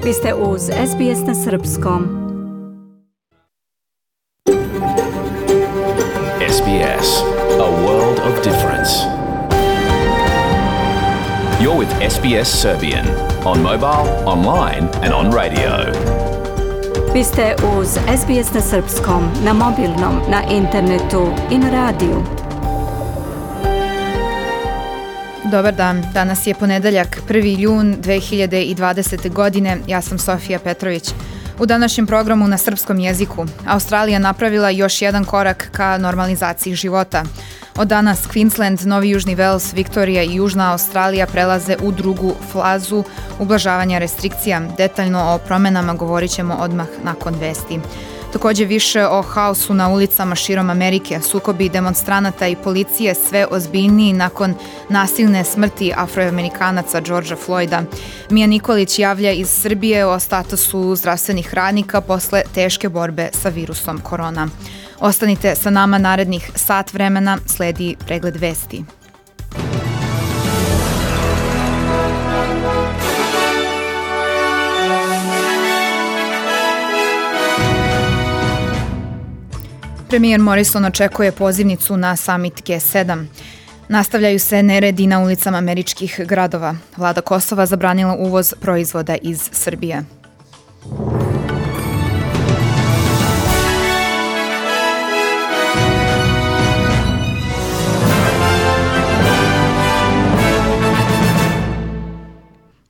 Vi ste uz SBS na Srpskom. SBS, a world of difference. You're with SBS Serbian on mobile, online and on radio. Vi ste uz SBS na Srpskom, na mobilnom, na internetu i na radiju. Dobar dan, danas je ponedeljak, 1. jun 2020. godine, ja sam Sofija Petrović. U današnjem programu na srpskom jeziku, Australija napravila još jedan korak ka normalizaciji života. Od danas Queensland, Novi Južni Vels, Viktorija i Južna Australija prelaze u drugu fazu ublažavanja restrikcija. Detaljno o promenama govorit ćemo odmah nakon vesti. Također više o haosu na ulicama širom Amerike, sukobi demonstranata i policije sve ozbiljniji nakon nasilne smrti Afroamerikanaca Georgea Floyda. Mija Nikolić javlja iz Srbije o statusu zdravstvenih radnika posle teške borbe sa virusom korona. Ostanite sa nama narednih sat vremena, sledi pregled vesti. Premijer Morrison očekuje pozivnicu na summit G7. Nastavljaju se neredi na ulicama američkih gradova. Vlada Kosova zabranila uvoz proizvoda iz Srbije.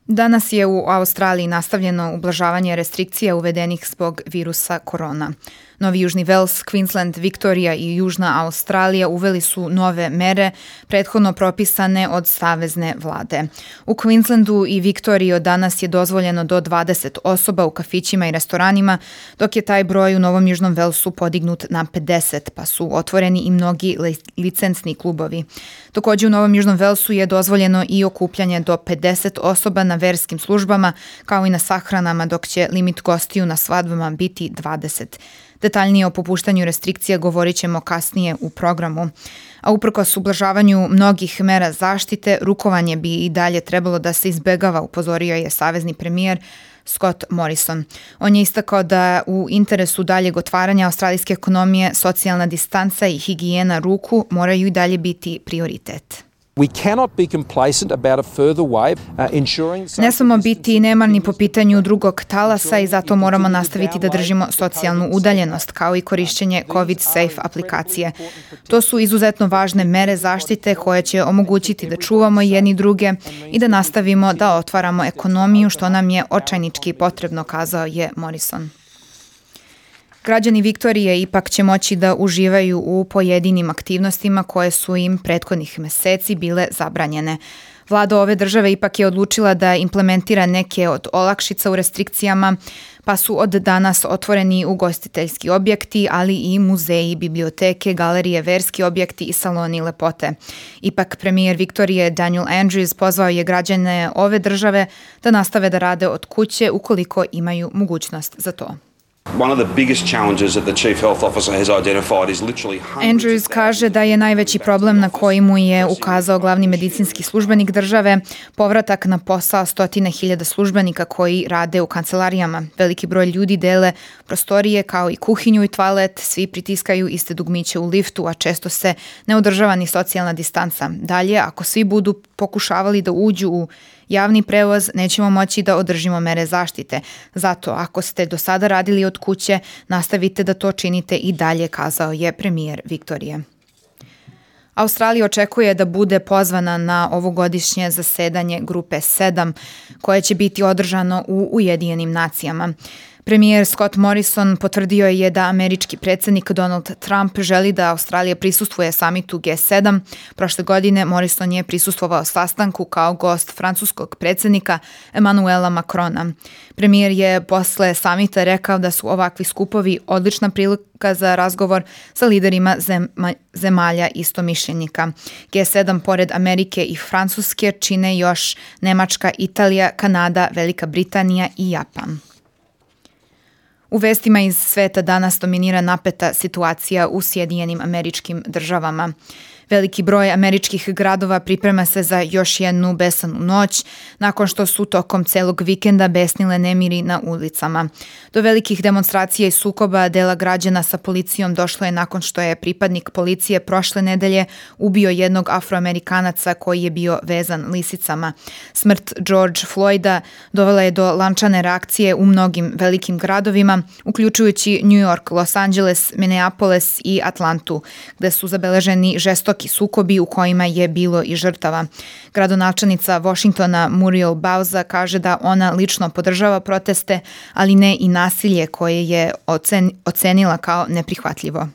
Danas je u Australiji nastavljeno ublažavanje restrikcija uvedenih zbog virusa korona. Novi Južni Vels, Queensland, Viktorija i Južna Australija uveli su nove mere prethodno propisane od savezne vlade. U Queenslandu i Viktoriji od danas je dozvoljeno do 20 osoba u kafićima i restoranima, dok je taj broj u Novom Južnom Velsu podignut na 50, pa su otvoreni i mnogi licencni klubovi. Također u Novom Južnom Velsu je dozvoljeno i okupljanje do 50 osoba na verskim službama, kao i na sahranama, dok će limit gostiju na svadbama biti 20. Detaljnije o popuštanju restrikcija govorit ćemo kasnije u programu. A uprkos ublažavanju mnogih mera zaštite, rukovanje bi i dalje trebalo da se izbegava, upozorio je savezni premijer Scott Morrison. On je istakao da u interesu daljeg otvaranja australijske ekonomije socijalna distanca i higijena ruku moraju i dalje biti prioritet. Ne smemo biti nemarni po pitanju drugog talasa i zato moramo nastaviti da držimo socijalnu udaljenost, kao i korišćenje COVID Safe aplikacije. To su izuzetno važne mere zaštite koje će omogućiti da čuvamo jedni druge i da nastavimo da otvaramo ekonomiju, što nam je očajnički potrebno, kazao je Morrison. Građani Viktorije ipak će moći da uživaju u pojedinim aktivnostima koje su im prethodnih meseci bile zabranjene. Vlada ove države ipak je odlučila da implementira neke od olakšica u restrikcijama, pa su od danas otvoreni ugostiteljski objekti, ali i muzeji, biblioteke, galerije, verski objekti i saloni lepote. Ipak premijer Viktorije Daniel Andrews pozvao je građane ove države da nastave da rade od kuće ukoliko imaju mogućnost za to. Andrews kaže da je najveći problem na koji mu je ukazao glavni medicinski službenik države povratak na posao 100.000 službenika koji rade u kancelarijama. Veliki broj ljudi dele prostorije kao i kuhinju i toalet, svi pritiskaju iste dugmiće u liftu, a često se ne održava ni socijalna distanca. Dalje, ako svi budu pokušavali da uđu u javni prevoz, nećemo moći da održimo mere zaštite. Zato, ako ste do sada radili od kuće, nastavite da to činite i dalje, kazao je premijer Viktorije. Australija očekuje da bude pozvana na ovogodišnje zasedanje Grupe 7, koje će biti održano u Ujedinjenim nacijama. Premijer Scott Morrison potvrdio je da američki predsjednik Donald Trump želi da Australija prisustvuje samitu G7. Prošle godine Morrison je prisustvovao sastanku kao gost francuskog predsjednika Emmanuela Macrona. Premijer je posle samita rekao da su ovakvi skupovi odlična prilika za razgovor sa liderima zemalja istomišljenika. G7 pored Amerike i Francuske čine još Nemačka, Italija, Kanada, Velika Britanija i Japan. U vestima iz sveta danas dominira napeta situacija u Sjedinjenim Američkim Državama. Veliki broj američkih gradova priprema se za još jednu besanu noć, nakon što su tokom celog vikenda besnile nemiri na ulicama. Do velikih demonstracija i sukoba dela građana sa policijom došlo je nakon što je pripadnik policije prošle nedelje ubio jednog Afroamerikanaca koji je bio vezan lisicama. Smrt George Floyda dovela je do lančane reakcije u mnogim velikim gradovima, uključujući New York, Los Angeles, Minneapolis i Atlantu, gde su zabeleženi žestoki sukobi u kojima je bilo i žrtava. Gradonačelnica Washingtona Muriel Bowser kaže da ona lično podržava proteste, ali ne i nasilje koje je ocenila kao neprihvatljivo.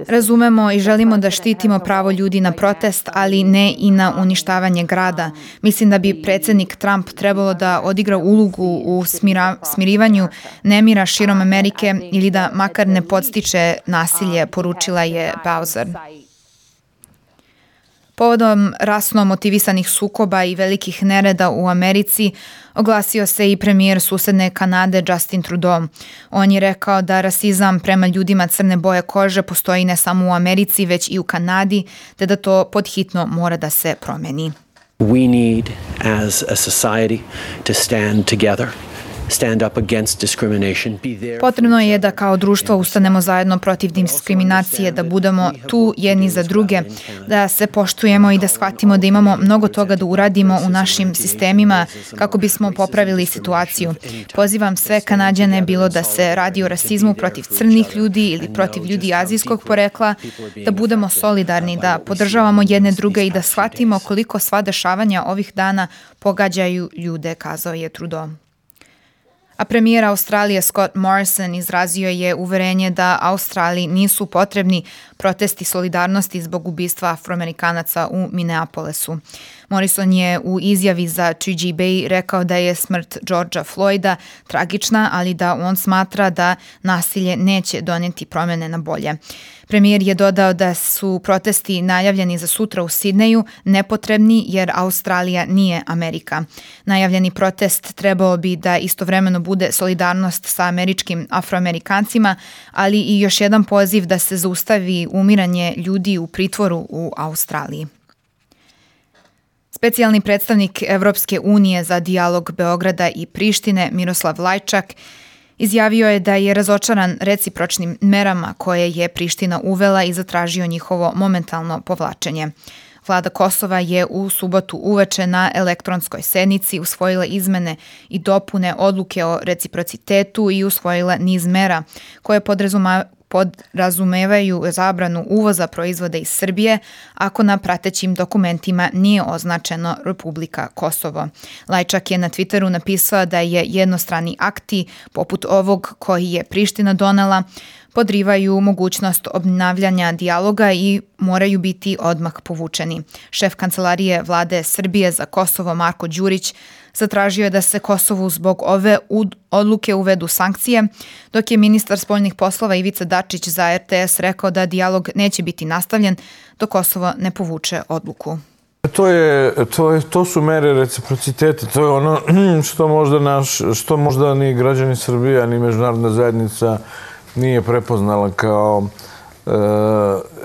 Razumemo i želimo da štitimo pravo ljudi na protest, ali ne i na uništavanje grada. Mislim da bi predsjednik Trump trebalo da odigra ulogu u smirivanju nemira širom Amerike ili da makar ne podstiče nasilje, poručila je Bowser. Povodom rasno motivisanih sukoba i velikih nereda u Americi oglasio se i premijer susedne Kanade Justin Trudeau. On je rekao da rasizam prema ljudima crne boje kože postoji ne samo u Americi, već i u Kanadi, te da to podhitno mora da se promeni. We need as a society to stand together. Stand up against discrimination. Potrebno je da kao društvo ustanemo zajedno protiv diskriminacije, da budemo tu jedni za druge, da se poštujemo i da shvatimo da imamo mnogo toga da uradimo u našim sistemima kako bismo popravili situaciju. Pozivam sve Kanađane, bilo da se radi o rasizmu protiv crnih ljudi ili protiv ljudi azijskog porekla, da budemo solidarni, da podržavamo jedne druge i da shvatimo koliko sva dešavanja ovih dana pogađaju ljude, kazao je Trudeau. A premijer Australije Scott Morrison izrazio je uverenje da Australiji nisu potrebni protesti solidarnosti zbog ubistva Afroamerikanaca u Minneapolisu. Morrison je u izjavi za 2GB rekao da je smrt Georgea Floyda tragična, ali da on smatra da nasilje neće donijeti promjene na bolje. Premijer je dodao da su protesti najavljeni za sutra u Sidneju nepotrebni jer Australija nije Amerika. Najavljeni protest trebao bi da istovremeno bude solidarnost sa američkim Afroamerikancima, ali i još jedan poziv da se zaustavi umiranje ljudi u pritvoru u Australiji. Specijalni predstavnik Evropske unije za dijalog Beograda i Prištine Miroslav Lajčak izjavio je da je razočaran recipročnim merama koje je Priština uvela i zatražio njihovo momentalno povlačenje. Vlada Kosova je u subotu uveče na elektronskoj sednici usvojila izmene i dopune odluke o reciprocitetu i usvojila niz mera koje podrazumevaju zabranu uvoza proizvoda iz Srbije ako na pratećim dokumentima nije označeno Republika Kosovo. Lajčak je na Twitteru napisao da je jednostrani akti poput ovog koji je Priština donela podrivaju mogućnost obnavljanja dijaloga i moraju biti odmah povučeni. Šef kancelarije vlade Srbije za Kosovo Marko Đurić zatražio je da se Kosovu zbog ove odluke uvedu sankcije, dok je ministar spoljnih poslova Ivica Dačić za RTS rekao da dijalog neće biti nastavljen dok Kosovo ne povuče odluku. To su mere reciprociteta, to je ono što možda ni građani Srbije, ni međunarodna zajednica nije prepoznala kao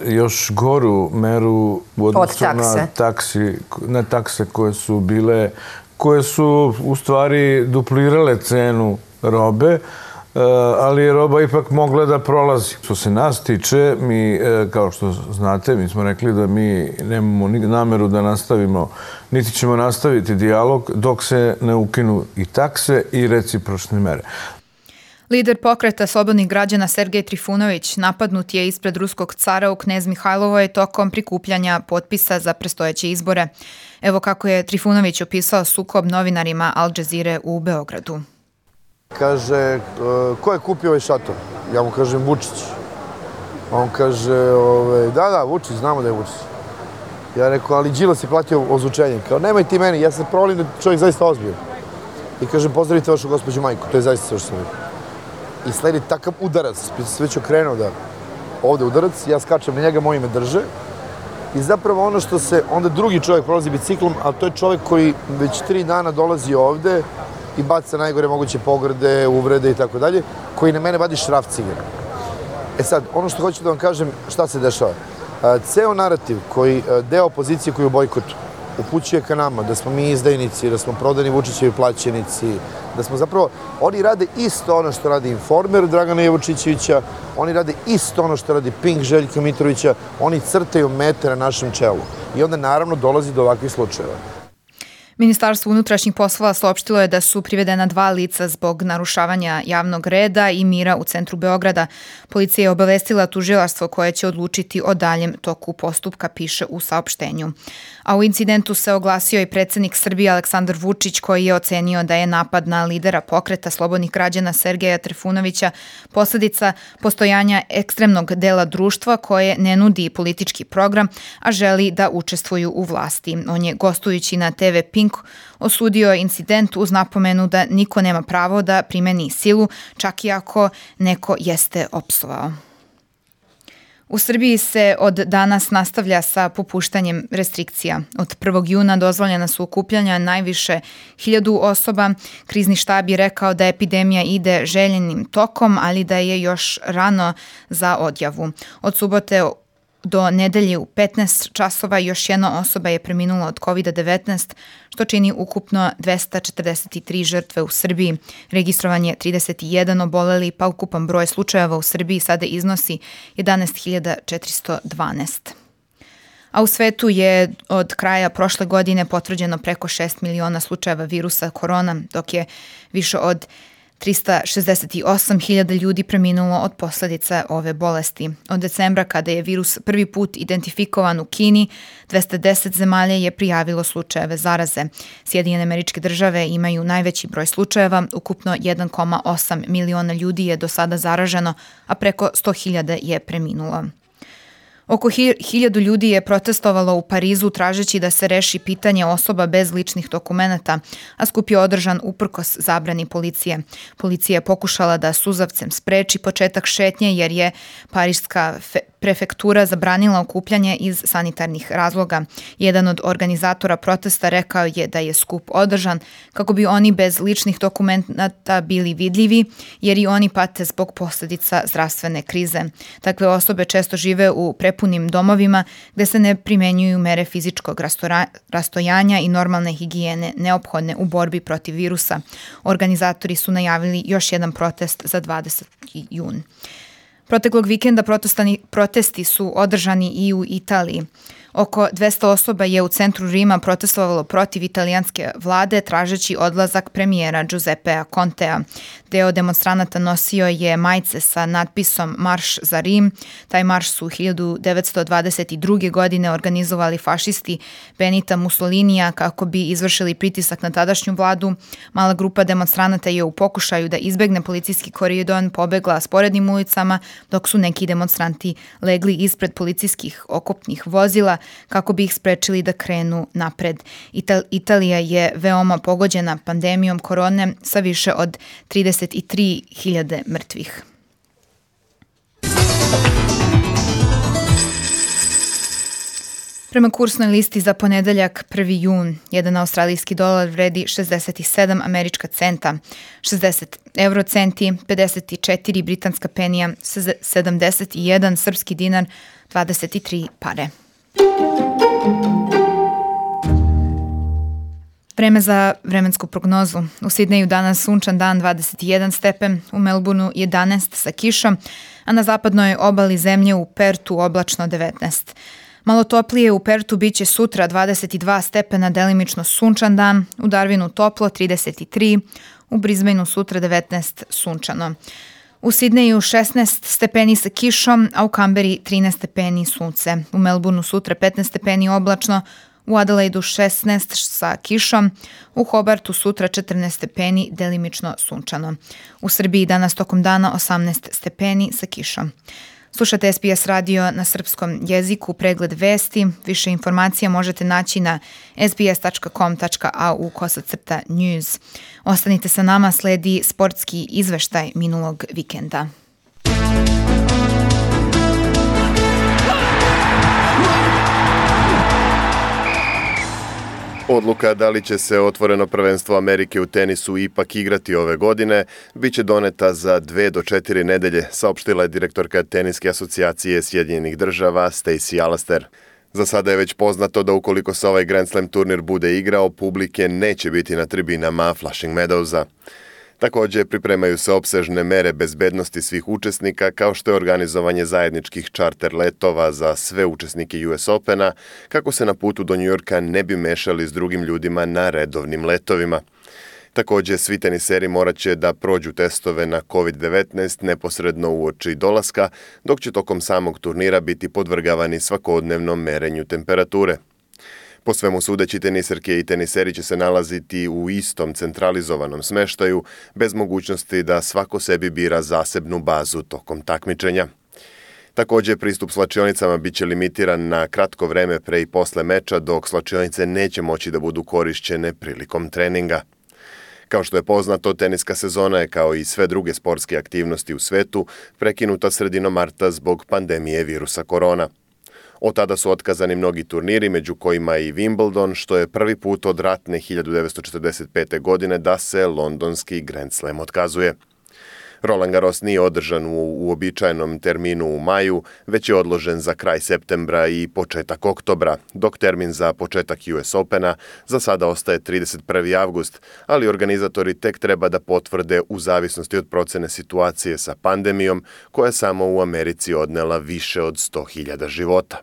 još goru meru u odnosu na takse koje su u stvari duplirale cenu robe, ali je roba ipak mogla da prolazi. Što se nas tiče, mi, kao što znate, mi smo rekli da mi nemamo nameru da nastavimo, niti ćemo nastaviti dijalog dok se ne ukinu i takse i recipročne mere. Lider pokreta slobodnih građana Sergej Trifunović napadnut je ispred ruskog cara u Knez Mihajlovoj tokom prikupljanja potpisa za predstojeće izbore. Evo kako je Trifunović opisao sukob novinarima Al Jazeere u Beogradu. Kaže, ko je kupio ovaj šator? Ja mu kažem Vučić. On kaže, da, Vučić, znamo da je Vučić. Ja rekao, ali Đilas je platio ozvučenje. Kao, nemoj ti meni, ja se provalim da je čovjek zaista ozbiljan. I kažem, pozdravite vašu gospođu majku, to je zaista sve što sam rekao. I sledi takav udarac, se već okrenuo da ovde udarac, ja skačem na njega, moji me drže. I zapravo ono što se, onda drugi čovjek prolazi biciklom, a to je čovjek koji već 3 dana dolazi ovde i baca najgore moguće pogrde, uvrede i tako dalje, koji na mene vadi šraf cigara. sad, ono što hoću da vam kažem, šta se dešava. Ceo narativ deo opozicije koji u bojkotu upućuje ka nama, da smo mi izdajnici, da smo prodani Vučićevi plaćenici, da smo zapravo, oni rade isto ono što radi Informer Dragana Jevučićevića, oni rade isto ono što radi Pink Željka Mitrovića, oni crtaju mete na našem čelu. I onda naravno dolazi do ovakvih slučajeva. Ministarstvo unutrašnjih poslova saopštilo je da su privedena 2 lica zbog narušavanja javnog reda i mira u centru Beograda. Policija je obavestila tužilaštvo koje će odlučiti o daljem toku postupka, piše u saopštenju. A u incidentu se oglasio i predsjednik Srbije Aleksandar Vučić, koji je ocenio da je napad na lidera pokreta slobodnih građana Sergeja Trifunovića posledica postojanja ekstremnog dela društva koje ne nudi politički program, a želi da učestvuju u vlasti. On je, gostujući na TV Pink, osudio incident uz napomenu da niko nema pravo da primeni silu, čak i ako neko jeste opsovao. U Srbiji se od danas nastavlja sa popuštanjem restrikcija. Od 1. juna dozvoljena su okupljanja najviše 1000 osoba. Krizni štab je rekao da epidemija ide željenim tokom, ali da je još rano za odjavu. Od subote do nedelje u 15 časova još jedna osoba je preminula od COVID-19, što čini ukupno 243 žrtve u Srbiji. Registrovan je 31 oboleli, pa ukupan broj slučajeva u Srbiji sada iznosi 11.412. A u svetu je od kraja prošle godine potvrđeno preko 6 miliona slučajeva virusa korona, dok je više od 368.000 ljudi preminulo od posljedica ove bolesti. Od decembra, kada je virus prvi put identifikovan u Kini, 210 zemalja je prijavilo slučajeve zaraze. Sjedinjene Američke Države imaju najveći broj slučajeva, ukupno 1,8 miliona ljudi je do sada zaraženo, a preko 100.000 je preminulo. Oko 1000 ljudi je protestovalo u Parizu tražeći da se reši pitanje osoba bez ličnih dokumenata, a skup je održan uprkos zabrani policije. Policija je pokušala da suzavcem spreči početak šetnje jer je pariška prefektura zabranila okupljanje iz sanitarnih razloga. Jedan od organizatora protesta rekao je da je skup održan kako bi oni bez ličnih dokumenata bili vidljivi, jer i oni pate zbog posljedica zdravstvene krize. Takve osobe često žive u prepunim domovima gde se ne primenjuju mere fizičkog rastojanja i normalne higijene neophodne u borbi protiv virusa. Organizatori su najavili još jedan protest za 20. jun. Proteklog vikenda protesti su održani i u Italiji. Oko 200 osoba je u centru Rima protestovalo protiv italijanske vlade tražeći odlazak premijera Giuseppea Contea. Deo demonstranata nosio je majice sa natpisom Marš za Rim. Taj marš su 1922. godine organizovali fašisti Benita Mussolinija kako bi izvršili pritisak na tadašnju vladu. Mala grupa demonstranata je u pokušaju da izbegne policijski koridor pobegla sporednim ulicama, dok su neki demonstranti legli ispred policijskih okopnih vozila kako bi ih sprečili da krenu napred. Italija je veoma pogođena pandemijom korone sa više od 33.000 mrtvih. Prema kursnoj listi za ponedeljak 1. jun, jedan australijski dolar vredi 67 američka centa, 60 eurocenti, 54 britanska penija, 71 srpski dinar, 23 pare. Vreme za vremensku prognozu. U Sidneju danas sunčan dan 21 stepen, u Melbourneu 11 sa kišom, a na zapadnoj obali zemlje u Pertu oblačno 19. Malo toplije u Pertu biće sutra 22 stepena, delimično sunčan dan, u Darwinu toplo 33, u Brisbaneu sutra 19 sunčano. U Sidneju 16 stepeni sa kišom, a u Kamberi 13 stepeni sunce. U Melbourneu sutra 15 stepeni oblačno, u Adelaidu 16 sa kišom, u Hobartu sutra 14 stepeni, delimično sunčano. U Srbiji danas tokom dana 18 stepeni sa kišom. Slušate SBS radio na srpskom jeziku, pregled vesti. Više informacija možete naći na sbs.com.au/news. Ostanite sa nama, sledi sportski izveštaj minulog vikenda. Odluka da li će se otvoreno prvenstvo Amerike u tenisu ipak igrati ove godine bit će doneta za 2 do 4 nedelje, saopštila je direktorka Teniske asocijacije Sjedinjenih država Stacey Alastair. Za sada je već poznato da ukoliko se ovaj Grand Slam turnir bude igrao, publike neće biti na tribinama Flushing Meadowsa. Također pripremaju se opsežne mere bezbednosti svih učesnika, kao što je organizovanje zajedničkih čarter letova za sve učesnike US Opena, kako se na putu do New Yorka ne bi mešali s drugim ljudima na redovnim letovima. Također, svi teniseri morat će da prođu testove na COVID-19 neposredno uoči dolaska, dok će tokom samog turnira biti podvrgavani svakodnevnom merenju temperature. Po svemu sudeći, teniserke i teniseri će se nalaziti u istom centralizovanom smeštaju, bez mogućnosti da svako sebi bira zasebnu bazu tokom takmičenja. Također, pristup slačionicama bit će limitiran na kratko vreme pre i posle meča, dok slačionice neće moći da budu korišćene prilikom treninga. Kao što je poznato, teniska sezona je, kao i sve druge sportske aktivnosti u svetu, prekinuta sredinom marta zbog pandemije virusa korona. Od tada su otkazani mnogi turniri, među kojima i Wimbledon, što je prvi put od ratne 1945. godine da se londonski Grand Slam otkazuje. Roland Garros nije održan u uobičajenom terminu u maju, već je odložen za kraj septembra i početak oktobra, dok termin za početak US Opena za sada ostaje 31. avgust, ali organizatori tek treba da potvrde u zavisnosti od procene situacije sa pandemijom, koja je samo u Americi odnela više od 100.000 života.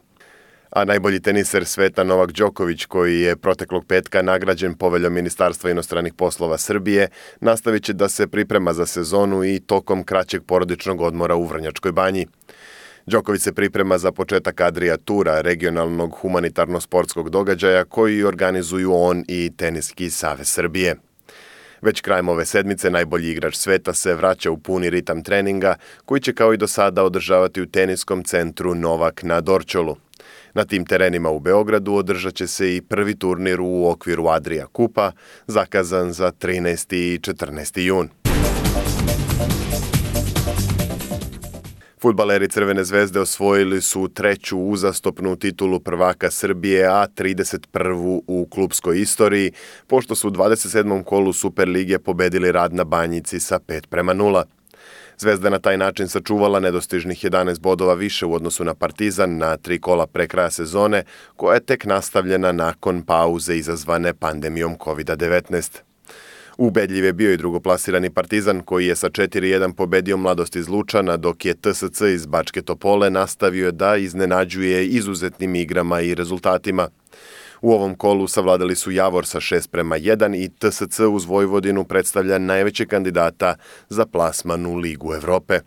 A najbolji teniser sveta Novak Đoković, koji je proteklog petka nagrađen poveljom Ministarstva inostranih poslova Srbije, nastavit će da se priprema za sezonu i tokom kraćeg porodičnog odmora u Vrnjačkoj Banji. Đoković se priprema za početak Adria Tura, regionalnog humanitarno-sportskog događaja koji organizuju on i Teniski savez Srbije. Već krajem ove sedmice najbolji igrač sveta se vraća u puni ritam treninga, koji će kao i do sada održavati u teniskom centru Novak na Dorćolu. Na tim terenima u Beogradu održat će se i prvi turnir u okviru Adria Kupa, zakazan za 13. i 14. jun. Fudbaleri Crvene zvezde osvojili su 3. uzastopnu titulu prvaka Srbije, a 31. u klupskoj istoriji, pošto su u 27. kolu Superlige pobedili Rad na Banjici sa 5:0. Zvezda na taj način sačuvala nedostižnih 11 bodova više u odnosu na Partizan na 3 kola pre kraja sezone, koja je tek nastavljena nakon pauze izazvane pandemijom COVID-19. Ubedljiv je bio i drugoplasirani Partizan, koji je sa 4:1 pobedio Mladost iz Lučana, dok je TSC iz Bačke Topole nastavio da iznenađuje izuzetnim igrama i rezultatima. U ovom kolu savladali su Javor sa 6:1 i TSC uz Vojvodinu predstavlja najveće kandidata za plasman u Ligu Evrope.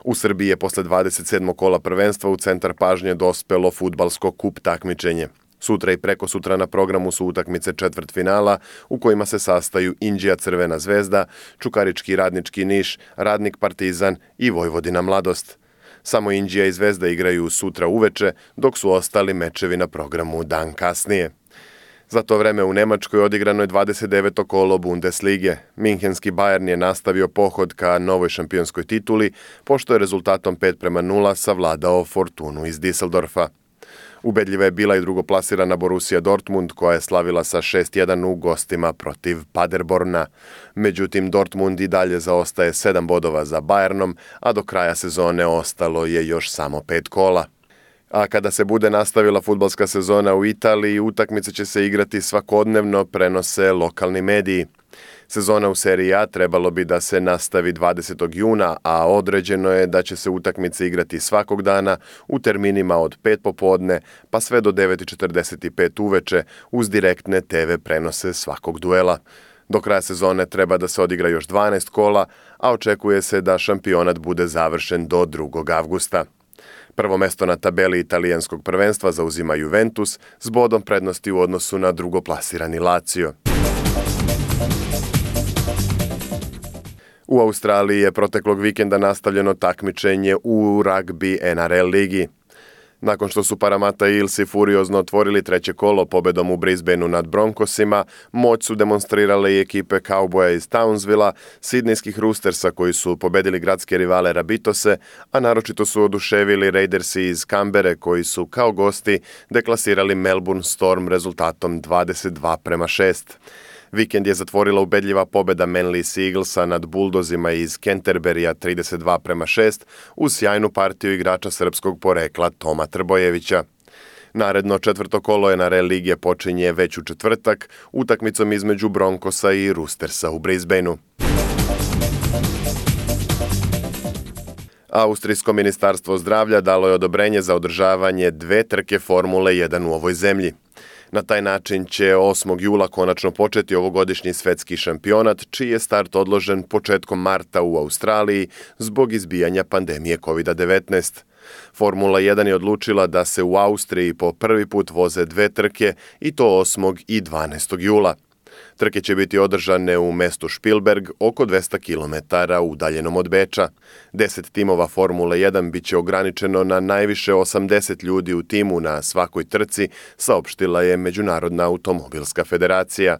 U Srbiji je posle 27. kola prvenstva u centar pažnje dospelo fudbalsko kup takmičenje. Sutra i preko sutra na programu su utakmice četvrtfinala u kojima se sastaju Inđija Crvena zvezda, Čukarički Radnički Niš, Radnik Partizan i Vojvodina Mladost. Samo Inđija i Zvezda igraju sutra uveče, dok su ostali mečevi na programu dan kasnije. Za to vreme u Nemačkoj odigrano je 29. kolo Bundeslige. Minhenski Bayern je nastavio pohod ka novoj šampionskoj tituli, pošto je rezultatom 5:0 savladao Fortunu iz Düsseldorfa. Ubedljiva je bila i drugoplasirana Borussia Dortmund, koja je slavila sa 6:1 u gostima protiv Paderborna. Međutim, Dortmund i dalje zaostaje 7 bodova za Bayernom, a do kraja sezone ostalo je još samo 5 kola. A kada se bude nastavila fudbalska sezona u Italiji, utakmice će se igrati svakodnevno, prenose lokalni mediji. Sezona u seriji A trebalo bi da se nastavi 20. juna, a određeno je da će se utakmice igrati svakog dana u terminima od 5 popodne pa sve do 9:45 uveče uz direktne TV prenose svakog duela. Do kraja sezone treba da se odigra još 12 kola, a očekuje se da šampionat bude završen do 2. avgusta. Prvo mesto na tabeli italijanskog prvenstva zauzima Juventus s bodom prednosti u odnosu na drugoplasirani Lazio. U Australiji je proteklog vikenda nastavljeno takmičenje u ragbi NRL ligi. Nakon što su Parramatta Eelsi furiozno otvorili treće kolo pobedom u Brisbaneu nad Broncosima, moć su demonstrirale i ekipe Cowboya iz Townsvilla, sidnejskih Roostersa koji su pobedili gradske rivale Rabitose, a naročito su oduševili Raidersi iz Canberre koji su kao gosti deklasirali Melbourne Storm rezultatom 22-6. Vikend je zatvorila ubedljiva pobeda Manly Eaglesa nad Bulldozima iz Canterburya 32-6 uz sjajnu partiju igrača srpskog porekla Toma Trbojevića. Naredno četvrto kolo NRL lige počinje već u četvrtak utakmicom između Broncosa i Roostersa u Brisbaneu. Austrijsko ministarstvo zdravlja dalo je odobrenje za održavanje 2 trke Formule 1 u ovoj zemlji. Na taj način će 8. jula konačno početi ovogodišnji svetski šampionat, čiji je start odložen početkom marta u Australiji zbog izbijanja pandemije COVID-19. Formula 1 je odlučila da se u Austriji po prvi put voze 2 trke i to 8. i 12. jula. Trke će biti održane u mestu Spielberg, oko 200 km udaljenom od Beča. 10 timova Formule 1 bit će ograničeno na najviše 80 ljudi u timu na svakoj trci, saopštila je Međunarodna automobilska federacija.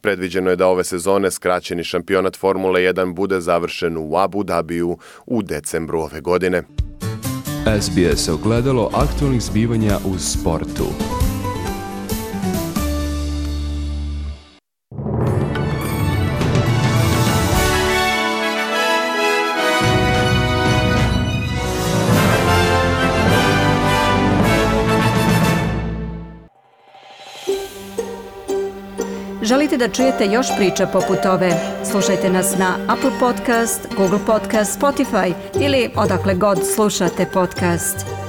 Predviđeno je da ove sezone skraćeni šampionat Formule 1 bude završen u Abu Dhabiju u decembru ove godine. SBS ogledalo aktualnih zbivanja u sportu. Želite da čujete još priča poput ove? Slušajte nas na Apple Podcast, Google Podcast, Spotify ili odakle god slušate podcast.